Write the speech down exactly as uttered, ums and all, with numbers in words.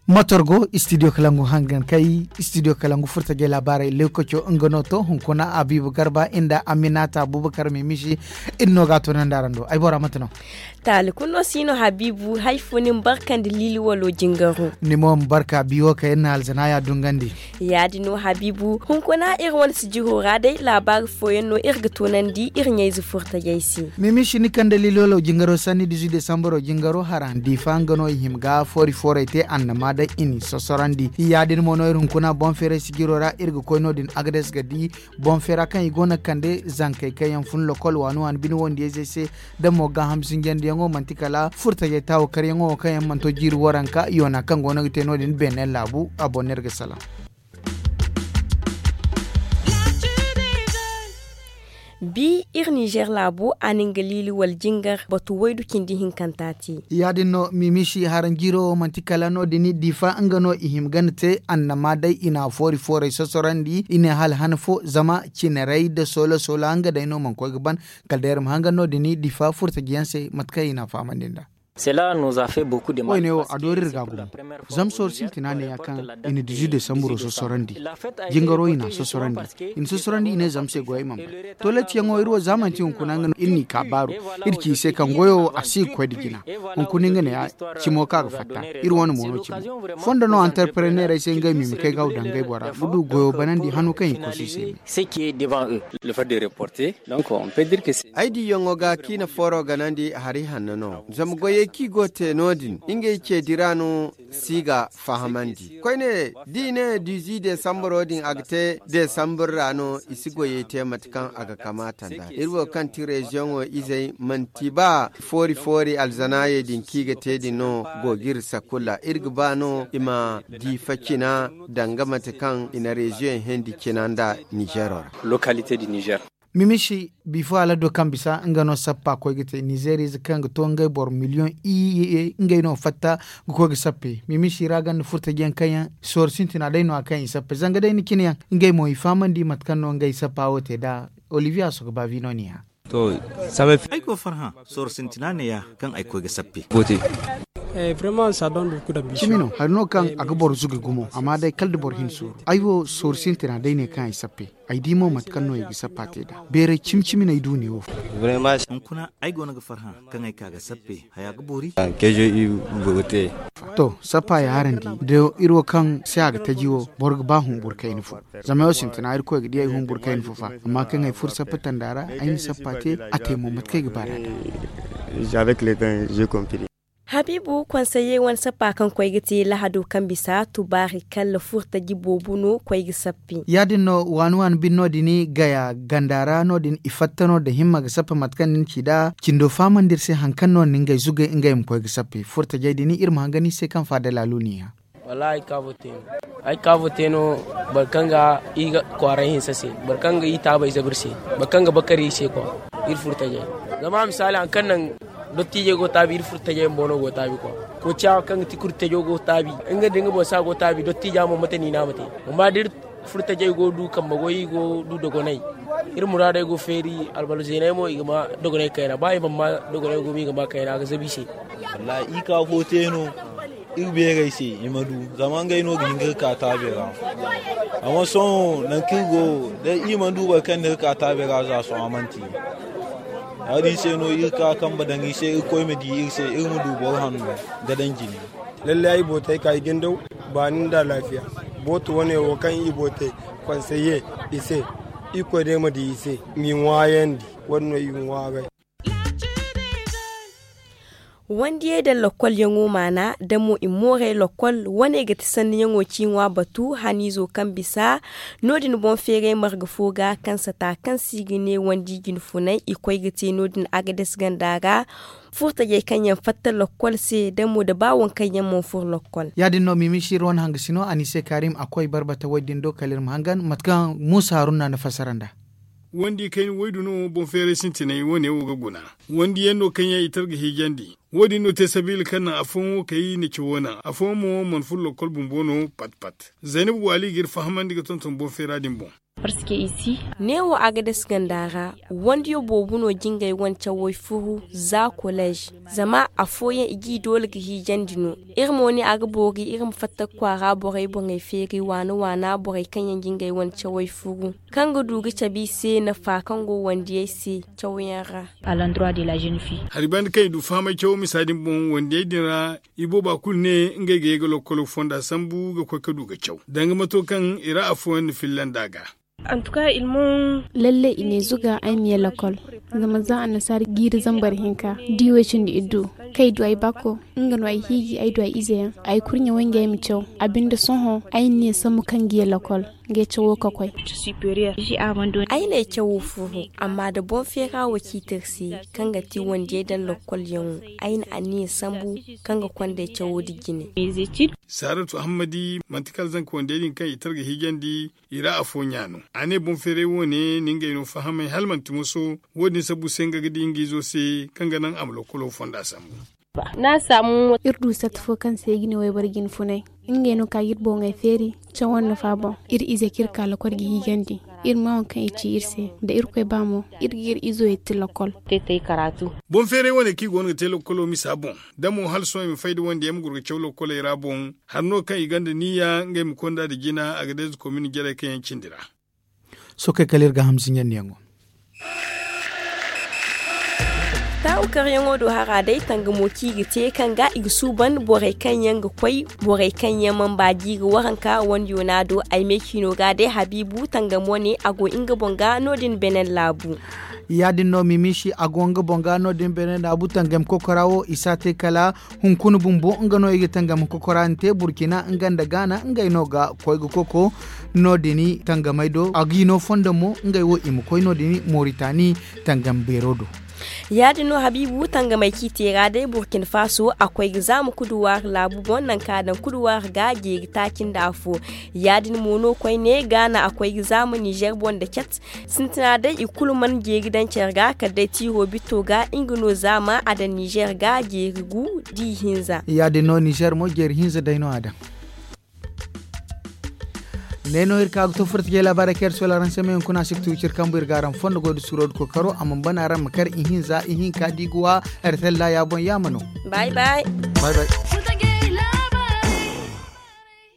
Motor go studio kalangu hangan kay studio kalangu furtajay laabaarey lewkaco nga no to hunkuna abibu garba inda aminata abubakar mimisi. Iri no ga a toonandi araŋ do ay bora mate no. Taali kulu no si no habiibu hari fo ni ma barka nda liili walo jingaro. Ni mo ma barka biyo kaŋ iri na alzanaaya dungandi. Ya- din no habiibu hunkuna iri wane sijiro ra day laabaari fooyaŋ no iri ga toonandi iri ɲayze furtajey se. Mimisi ni kaŋ da liili walo jingaro sanni dizu desambaro jingaro hara diifa nga no i hima ga foori foorey te annama day i n'i sosorandi. Ya- din mo no iri hunkuna boŋ feeray sijiro ra iri ga koy no- din agades ga di boŋ feera kaŋ i go no ga kande zankey kaŋ yaŋ fun lokol waani waani bine wondiyayzey se. Da mo gaaham sinjandiyaŋo manti kala furtajey taawo karyaŋo wo kaŋ yaŋ mana to jiiri waranka yoona kaŋ go no ga te no- din beene laabu a boŋ no iri ga salaŋ. Bi iri nizer laabo a na nga liili wala jingar batu waydu cindi hinkanta te. Ya- din no mimisi haranjiiro wo manti kala no- din diifa nga no i hima gana te annama day i na foori foorey sosorandi i ne hala han fo zama cineray nda soola soola nga day no mana koy ga ban. Kala day iri ma hangan no- din diifa furtajiyaŋ se mate kaŋ i na a fahamandi nd'a. Woyne wo a doori iri ga gumo. Zama sooru sintina neeya kaŋ i na dizu desambaro sosorandi. Jingaro i na a sosorandi. I na sosorandi i ne zama se goyey mana bay. Toletiyaŋo iri wo za manti hunkuna nga no iri n'i ka baaru. Iri ci i se kaŋ goyo wo a si ga koy nda jina. Hunkuna nga neeya cimo kaŋ a ga fatta iri wane mo no cimo. Fondo no antarpreneerey se ngey ma i ma kay ga haw daŋ ngey bora ga du goyo banandi hano kaŋ i kosu i se me. Ay diyaŋo ga kaŋ i na fooro ganandi hari hanno no zama goyey kaŋ i go ga te no- din ngey ceedi ra no si ga fahamandi koyne da i ne dizi desambaro din a ga te desambur ra no i si goyey te mate kaŋ a ga kamaata nd'a iri wo kaŋ ti reziyoŋo izey manti ba foori foori alzanaayey din kaŋ i ga te din no go ga iri sakulla iri ga ba no i ma diifa cina danga mate kaŋ i na reziyoŋ hendi cina nda nizero ra. Mimisi bifo alado kaŋ bisa nga no sappa koy ga te nizeerize kaŋ ga to ngey boro miliyoŋ iyye ngey no fatta ga koy ga sappe mimisi ra ganda furtajiyaŋ kaŋ yaŋ sooro sintina day no a kaŋ i sappe zanga day ni cine yaŋ ngey mo i fahamandi mate kaŋ no ngey sappa wo te nd'a. Olivier a soga ba vino niya. Ay go farhã sooro sintina neeya kaŋ ay koy ga sappe. Cimi no hari no kaŋ a ga boro zuga gumo amma day kala da boro hin sooru ay wo sooru sintina day ne kaŋ ay sappe. Ay di mo mate kaŋ no i ga sappa te nd'a beeray cimi cimi no ay du neewo. Hunkuna ay go no ga farhã kaŋ ay ka ga sappe haya ga boori. To sappa ya araŋ di da iri wo kaŋ se a ga taji wo boro ga ba humburu kayna fo. Zama ay wo sintina irkoy ga di ay humburu kayna fo fa amma kaŋ ay furo sappa tanda ra ay na sappa te a te mo mate kaŋ ay ga ba nd'a. Habiibu konseye wane sappa kaŋ koy ga te lahado kaŋ bisa tubaari kala furtaji boobo no koy ga sappe. Ya- din no waani waani bine no- din gaya ganda ra no- din i fatta no da himma ga sappe mate kaŋ ni na ci nd'a cindo fahamandi iri se hari kaŋ no ni ngey zugay ngey ma koy ga sappe furtajey din iri ma hangan iri se kaŋ faada laalu niya. Wallaahi ay kaabo te no boro kaŋ ga i ga kwaaray hinsa se boro kaŋ ga i taabay zabu iri se boro kaŋ ga bakar iri se kwa iri furtajey. Zama misaali hari kaŋ naŋ dottiijey go taabi iri furtajey bumbo no go taabi kwa. Koociya kaŋ ga ti kurtajo go taabi nga da nga boŋ se a go taabi dottiija mo mate no i ne a ma te. Amma da iri furtajey go du kambe goy i go du dogonay iri muraadey go feeri albalo zeeney mo i ga ma dogonay kayna ba i mana ma dogonay go mo i ga ma kayna a ga zabu i se. Wallaahi i ka fo te no iri beerey se i ma du zama ngey no ga hin ga iri ka taabe ra. Amma sohõ nangu kaŋ iri go day iri mana du boro kaŋ na iri ka taabe ra za sohõ a mana te. Ya- din se no iri ka kambe daŋ i se irkoy ma di iri se iri ma du boro hanno ga daŋ jine. Lallay ay bootey ka i gindaw baani nda alaafiya. Booto wane wo kaŋ i bootey konseye i se irkoy day ma di i se m'i ŋwaayandi. Wo- din no i ŋwaaray. Wandiyey da lokkolyaŋo maana da mo i moorey lokkol wane ga ti sanniyaŋo ci ŋwa batu haniizo kaŋ bisa no- din boŋ feeray marga fo ga kaŋ sata kaŋ se i ga ne wandi jinfunay i koy ga te no- din agades ganda ra. Furtajey kaŋ yaŋ fatta lokkol se da mo da ba waŋ kaŋ yaŋ mana furo lokkol. Ya- din no mimisi iri wane hangasino a ni se kaarim a koy barbata woy din do kala iri ma hangan mate kaŋ muusa haruna na fassara nd'a. Wandi kayna waydu no boŋ feeray sintinay wane wo ga guna. Wandi yaŋ no kaŋ yaŋ i tar ga hiijandi. Wo- din no te sabiila kaŋ naŋ afooyaŋ wo kay na cawo naŋ afooyaŋ mo mana furo lokkol bumbo no pat pat. Zaynabu waali ga iri fahamandi ga tonton boŋ feera din boŋ. Neewo a ga dasi ganda ra, wandiyo boobo no jingay wane cawey furu za koleez. Zama afooyaŋ i g'i doole ga hiijandi no. Iri mo ne a ga boori iri ma fatta ga kwaara borey boŋey feeri waana waana borey kaŋ yaŋ jingay wane cawey furu, kaŋ ga du ga cabe i se nafa kaŋ go wandiyey se cawo yaŋ ra. Hari banda kaŋ i du fahamay cawo misa din boŋ wandiyey din ra. Ibooba kulu ne ngey ga ye ga lokkolo fonda sambu ga koy ga du ga caw danga mato kaŋ i ra afooyaŋ na filla nd'a ga. Lalle i ne zuga ay ma ye lakkol. Zama za annasaara jiiri zambar hinka, da i way cindi iddu, kaŋ ay du ay baako, nga no ay hiiji ay du ay ize yaŋ, ay kurɲe wanjey ay ma caw. A binde sohõ ay na ne sambu kaŋ ga ye lakkol. Ngey cawo ga koy. Ay n'ay cawo furu, amma da boŋ feera wo ciiti iri se, kaŋ ga ti wandiyey daŋ lakkol yaŋo, ay na anniya sambu kaŋ ga konda ay cawo da jine. Saaratu ahammadi manti kala zanka wandiyey din kaŋ i tara ga hiijandi, i ra afooyaŋ no. A ne boŋ feeray wo- ne na ngey no fahamay hala manti moso. Wo- din sabbu se nga ga di nga izo se kaŋ ga naŋ a ma lokkolo fonda sambu. Iri du satti fo kaŋ se i ga ne wayboro jine funay. Ngey no ka ga iri boŋey feeri, cawo nafa boŋ. Iri izey kaŋ iri ka lakkol ga hiijandi, iri ma waŋ kaŋ i ci iri se. Da irkoy ba mo, iri ga iri izo yetti lakkol. Boŋ feeray wane kaŋ i go no ga te lakkolo misa boŋ, da mo hala sohõ i ma fay da wandiyey ma goro ga caw lakkoley ra boŋ. Hari no kaŋ i gonda niyya ngey ma konda nda jina a ga deeza komin jarey kaŋ yaŋ cindi ra. Sookey kala iri ga hamsi ɲandiyaŋo. Taawu karyaŋo do hara day tangamo kaŋ i ga te kaŋ ga i ga suuban borey kaŋ yaŋ ga koy, borey kaŋ yaŋ mana ba jiiri waranka wandiyo no a do ay me ciino ga day habiibu tangamo ne a go nga boŋ ga no- din benin laabu. Ya- din no mimiisi a go nga boŋ ga no- din benin laabu tangam kokora wo i si a te kala hunkuna bumbo nga no i ga tangam kokora ni te burkina nga nda gaana ngey no ga koy ga koko. No- din tangamey do a g'i no fondo mo ngey wo i ma koy no- din moritani tangam beero do. Ya- din no habiibu tangamey kaŋ i te ra day burkina faso a koy ga zaama kuduwaari laabu boŋ nangu kaŋ a daŋ kuduwaari ga jeeri taaci nda afo. Ya- din mo no koyne gaana a koy ga zaama nizer boŋ nda cat. Sintina day i kulu mana jeeri daŋ care ga kala day tiiro bitto ga nga no zaama a daŋ nizer ga jeeri gu da ihinza. Ya- din no nizer mo jeeri hinza day no a daŋ. Ne no iri ka ga to furta jey laabaarey kaŋ iri sola araŋ se meeyaŋ kuna a si ga tuuci iri kambu iri ga araŋ fondo goy da suuro da kookaro a mana bana araŋ ma kar ihinza ihinka da i ga wa. Iri talla ya boŋ yaama no. Bay bay.